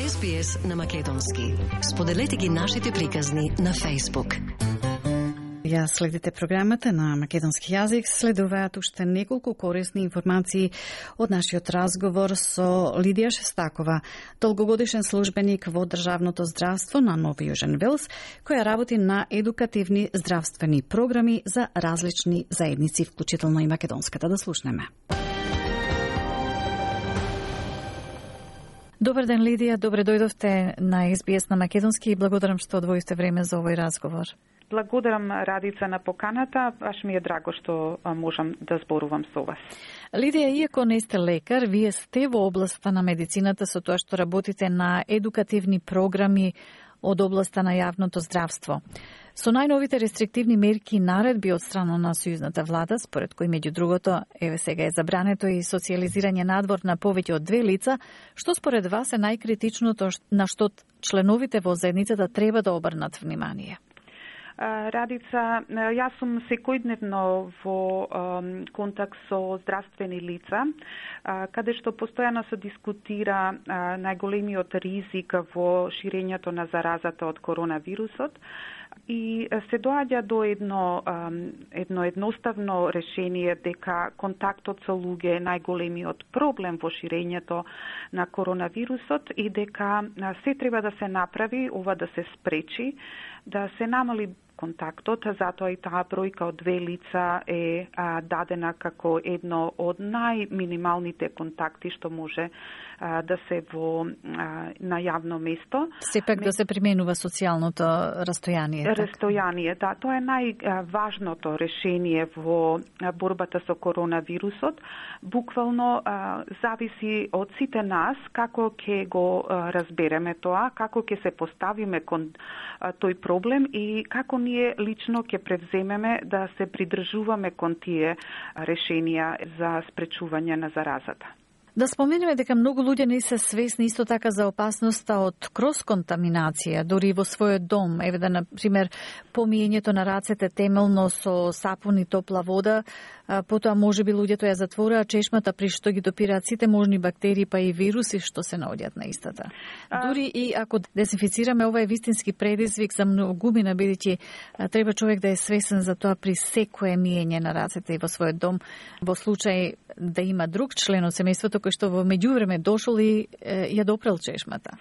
SBS на македонски. Споделете ги нашите приказни на Facebook. Ја следите програмата на македонски јазик, следуваат уште неколку корисни информации од нашиот разговор со Лидија Шестакова, долгогодишен службеник во државното здравство на Нови Јужен Велс, која работи на едукативни здравствени програми за различни заедници, вклучително и македонската. Да слушнеме. Добар ден, Лидија, добре дојдовте на SBS на македонски и благодарам што одвоивте време за овој разговор. Благодарам, Радица, на поканата. Баш ми е драго што можам да зборувам со вас. Лидија, иако не сте лекар, вие сте во областа на медицината со тоа што работите на едукативни програми од областа на јавното здравство. Со најновите рестриктивни мерки и наредби од страна на сојузната влада, според кои меѓу другото, еве сега е забрането и социјализирање надвор на повеќе од 2 лица, што според вас е најкритичното на што членовите во заедницата треба да обрнат внимание? Радица, јас сум секојдневно во контакт со здравствени лица, каде што постојано се дискутира најголемиот ризик во ширењето на заразата од коронавирусот и се доаѓа до едно едноставно решение дека контактот со луѓе е најголемиот проблем во ширењето на коронавирусот и дека се треба да се направи ова да се спречи, да се намали контактот, затоа и таа бројка од 2 лица е дадена како едно од најминималните контакти што може да се на јавно место. Сепак да се применува социјалното растојание. Растојание, да. Тоа е најважното решение во борбата со коронавирусот. Буквално зависи од сите нас како ќе го разбереме тоа, како ќе се поставиме кон тој проблем и како ние лично ќе превземеме да се придржуваме кон тие решенија за спречување на заразата. Да споменеме дека многу луѓе не се свесни исто така за опасноста од крос-контаминација, дури во својот дом. Еве да, например, помиењето на рацете темелно со сапун и топла вода, потоа можеби луѓето ја затвораа чешмата при што ги допираат сите можни бактерии па и вируси што се наоѓаат на истата. Дури и ако дезинфицираме, ова е вистински предизвик за многумина, бидејќи треба човек да е свесен за тоа при секое миење на рацете и во својот дом, во случај да има друг член од семејството кој што во меѓувреме дошол и ја допрел чешмата.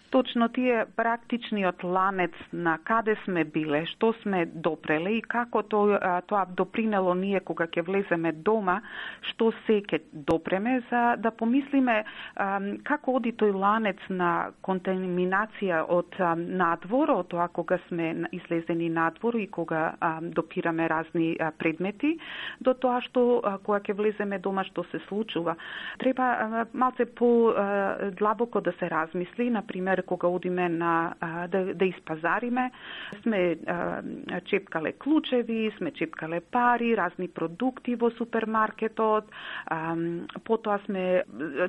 Точно тие практичниот ланец на каде сме биле, што сме допреле и како тоа допринело ние кога ќе влеземе дома, што се ќе допреме, за да помислиме како оди тој ланец на контаминација од надвор, од тоа кога сме излезени надвор и кога допираме разни предмети, до тоа што кога ќе влеземе дома што се случува. Треба малце по-длабоко да се размисли, например, кога одиме да испазариме, сме чепкале клучеви, сме чепкале пари, разни продукти во супермаркетот, потоа сме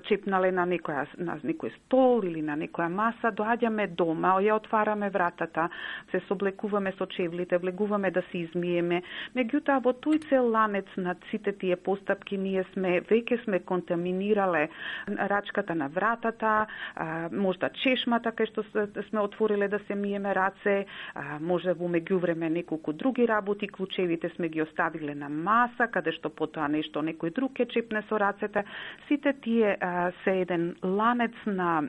чепнале на некој стол или на некоја маса, доаѓаме дома, ја отвараме вратата, се соблекуваме со чевлите, влегуваме да се измиеме. Меѓутоа, во тој цел ланец на сите тие постапки ние веќе сме контаминирале рачката на вратата, можда чешмата кај што сме отвориле да се миеме раце, може во меѓувреме неколку други работи, клучевите сме ги оставиле на маса, каде што потоа некој друг ќе чепне со рацете. Сите тие се еден ланец на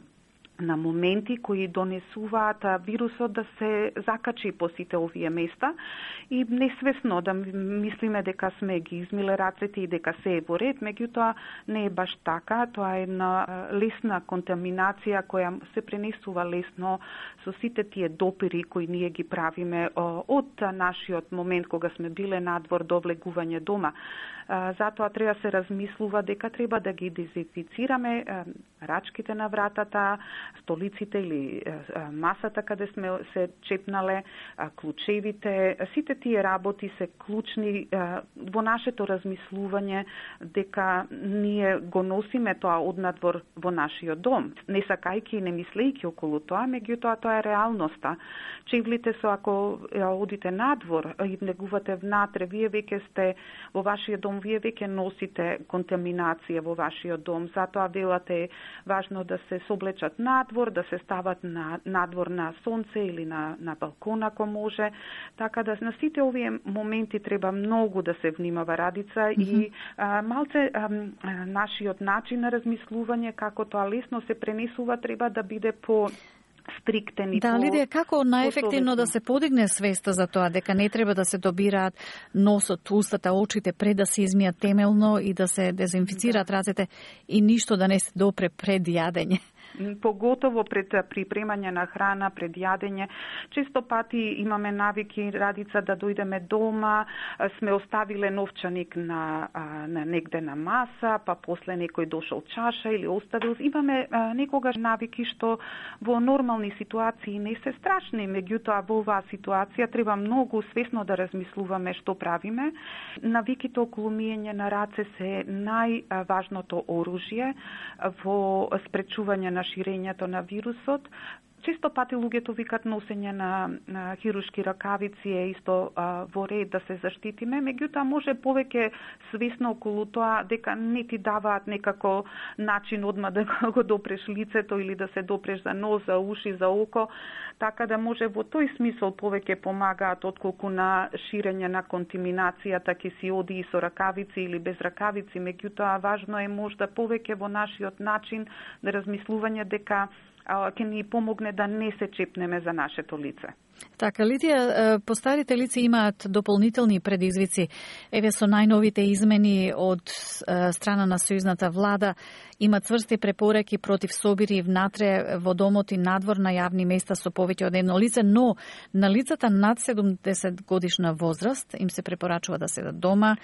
моменти кои донесуваат вирусот да се закачи по сите овие места и несвесно да мислиме дека сме ги измиле рацете и дека се е во ред, меѓутоа не е баш така. Тоа е една лесна контаминација која се пренесува лесно со сите тие допири кои ние ги правиме од нашиот момент кога сме биле надвор до влегување дома. Затоа треба се размислува дека треба да ги дезинфицираме рачките на вратата, столиците или масата каде сме се чепнале, клучевите. Сите тие работи се клучни во нашето размислување дека ние го носиме тоа однадвор во нашиот дом. Не сакајки и не мислејки околу тоа, меѓутоа тоа е реалноста. Чевлите со ако одите надвор и влегувате внатре, вие веќе сте во вашиот дом, вие веќе носите контаминација во вашиот дом. Затоа велате важно да се соблечат надвор, да се стават надвор на сонце или на балкон ако може. Така да на сите овие моменти треба многу да се внимава, Радица, и малце нашиот начин на размислување како тоа лесно се пренесува треба да биде по стриктен и да, Лидија, како најефективно да се подигне свеста за тоа дека не треба да се добираат носот, устата, очите пред да се измијат темелно и да се дезинфицираат рацете и ништо да не се допре пред јадење? Поготово пред припремање на храна, пред јадење. Често пати имаме навики, Радица, да дојдеме дома, сме оставиле новчаник на негде на маса, па после некој дошол чаша или оставил. Имаме некогаш навики што во нормални ситуации не се страшни, меѓутоа во оваа ситуација треба многу свесно да размислуваме што правиме. Навиките околу миење на раце се најважното оружје во спречување на ширењето на вирусот. Често пати луѓето викат носење на хируршки ракавици е исто во ред да се заштитиме, меѓутоа може повеќе свесно околу тоа дека не ти даваат некако начин одма да го допреш лицето или да се допреш за нос, за уши, за око, така да може во тој смисол повеќе помагаат отколку на ширење на контаминацијата ке си оди и со ракавици или без ракавици, меѓутоа важно е можда повеќе во нашиот начин на размислување дека ќе ни помогне да не се чепнеме за нашето лице. Така, Лидија, постарите лица имаат дополнителни предизвици. Еве со најновите измени од страна на сојузната влада има цврсти препораки против собири внатре во домот и надвор на јавни места со повеќе од едно лице, но на лицата над 70 годишна возраст им се препорачува да седат дома,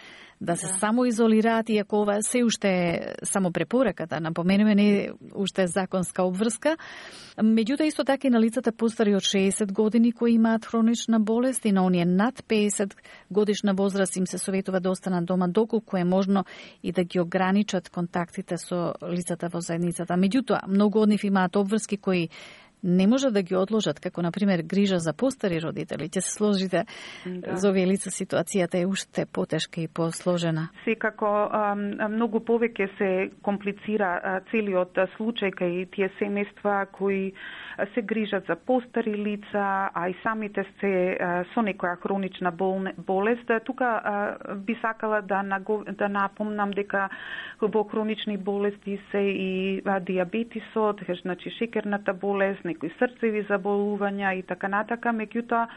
да се самоизолираат, иако ова се уште е само препорака, да напоменеме, не уште е законска обврска. Меѓутоа, исто така и на лицата постари од 60 години кои имаат хронична болест и на оние над 50 годишна возраст им се советува да останат дома доколку е можно и да ги ограничат контактите со лицата во заедницата. Меѓутоа, многу од нив имаат обврски кои не можат да ги одложат, како например грижа за постари родители. Ќе се сложите за овие лица, ситуацијата е уште потешка и посложена. Секако многу повеќе се комплицира целиот случај кај тие семејства кои се грижат за постари лица, а и самите се со некоја хронична болест. Тука би сакала да напомнам дека во хронични болести се и диабетисот, значи шекерната болест, некои срцеви заболувања и така натака, меѓутоа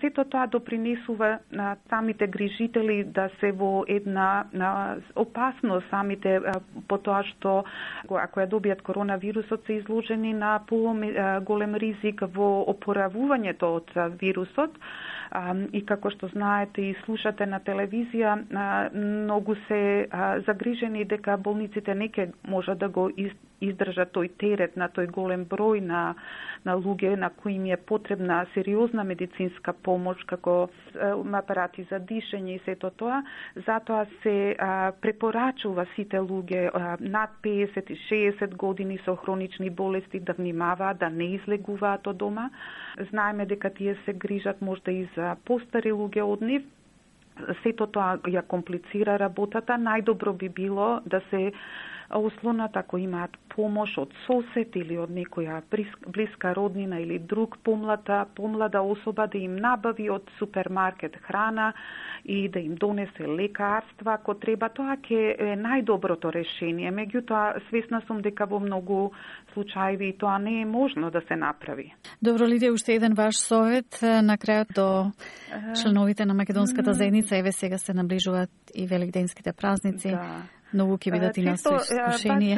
сето тоа допринесува на самите грижители да се во една опасност самите по тоа што ако ја добијат коронавирусот се изложени на голем ризик во опоравувањето од вирусот. И како што знаете и слушате на телевизија, многу се загрижени дека болниците не ќе можат да го издржат тој терет на тој голем број на луѓе на кои им е потребна сериозна медицинска помош, како апарати за дишење и сето тоа. Затоа се препорачува сите луѓе над 50 и 60 години со хронични болести да внимаваат, да не излегуваат од дома. Знаеме дека тие се грижат можда и за постари луѓе од нив. Сето тоа ја комплицира работата. Најдобро би било да се ослонат ако имаат помош од сосед или од некоја блиска роднина или друг помлада особа да им набави од супермаркет храна и да им донесе лекарства ако треба. Тоа ќе е најдоброто решение. Меѓутоа, свесна сум дека во многу случаи тоа не е можно да се направи. Добро, Лидија, уште еден ваш совет на крајот до членовите на македонската заедница. Еве сега се наближуваат и великденските празници. Да. Многу ќе бидат и на искушение.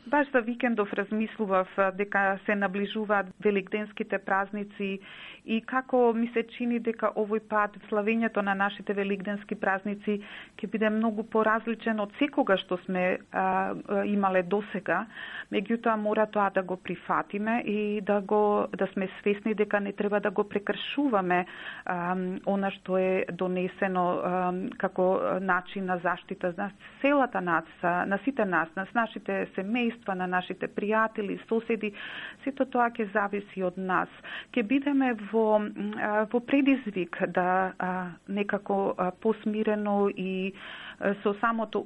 Баш за викендов размислував дека се наближуваат великденските празници и како ми се чини дека овој пат славењето на нашите великденски празници ќе биде многу поразличен од секогаш што сме имале досега. Меѓутоа мора тоа да го прифатиме и да сме свесни дека не треба да го прекршуваме она што е донесено како начин на заштита за целата нација на сите нас, на нашите семејства, на нашите пријатели, соседи, сето тоа ќе зависи од нас. Ќе бидеме во предизвик да некако посмирено и со самото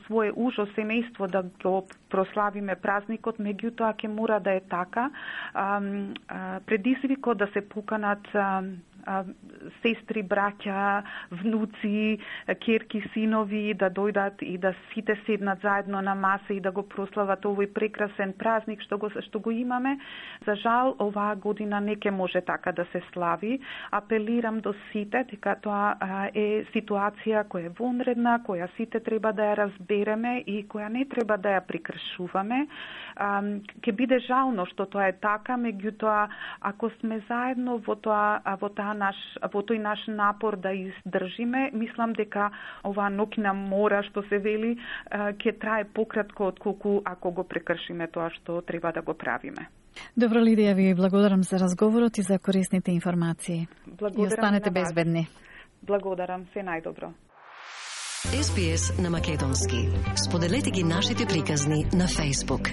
свое ужо семејство да го прославиме празникот, меѓутоа ќе мора да е така. Предизвикот да се поканат сестри, браќа, внуци, ќерки, синови да дојдат и да сите седнат заедно на маса и да го прослават овој прекрасен празник што го имаме. За жал, оваа година не ќе може така да се слави. Апелирам до сите дека тоа е ситуација која е вонредна, која сите треба да ја разбереме и која не треба да ја прекршуваме. Ќе биде жално што тоа е така, меѓутоа ако сме заедно во тој наш напор да издржиме, мислам дека оваа ноќна мора што се вели ќе трае пократко отколку ако го прекршиме тоа што треба да го правиме. Добро, Лидија, ви благодарам за разговорот и за корисните информации. Благодарам. И останете безбедни. Благодарам, се најдобро. SBS на македонски. Споделете ги нашите приказни на Facebook.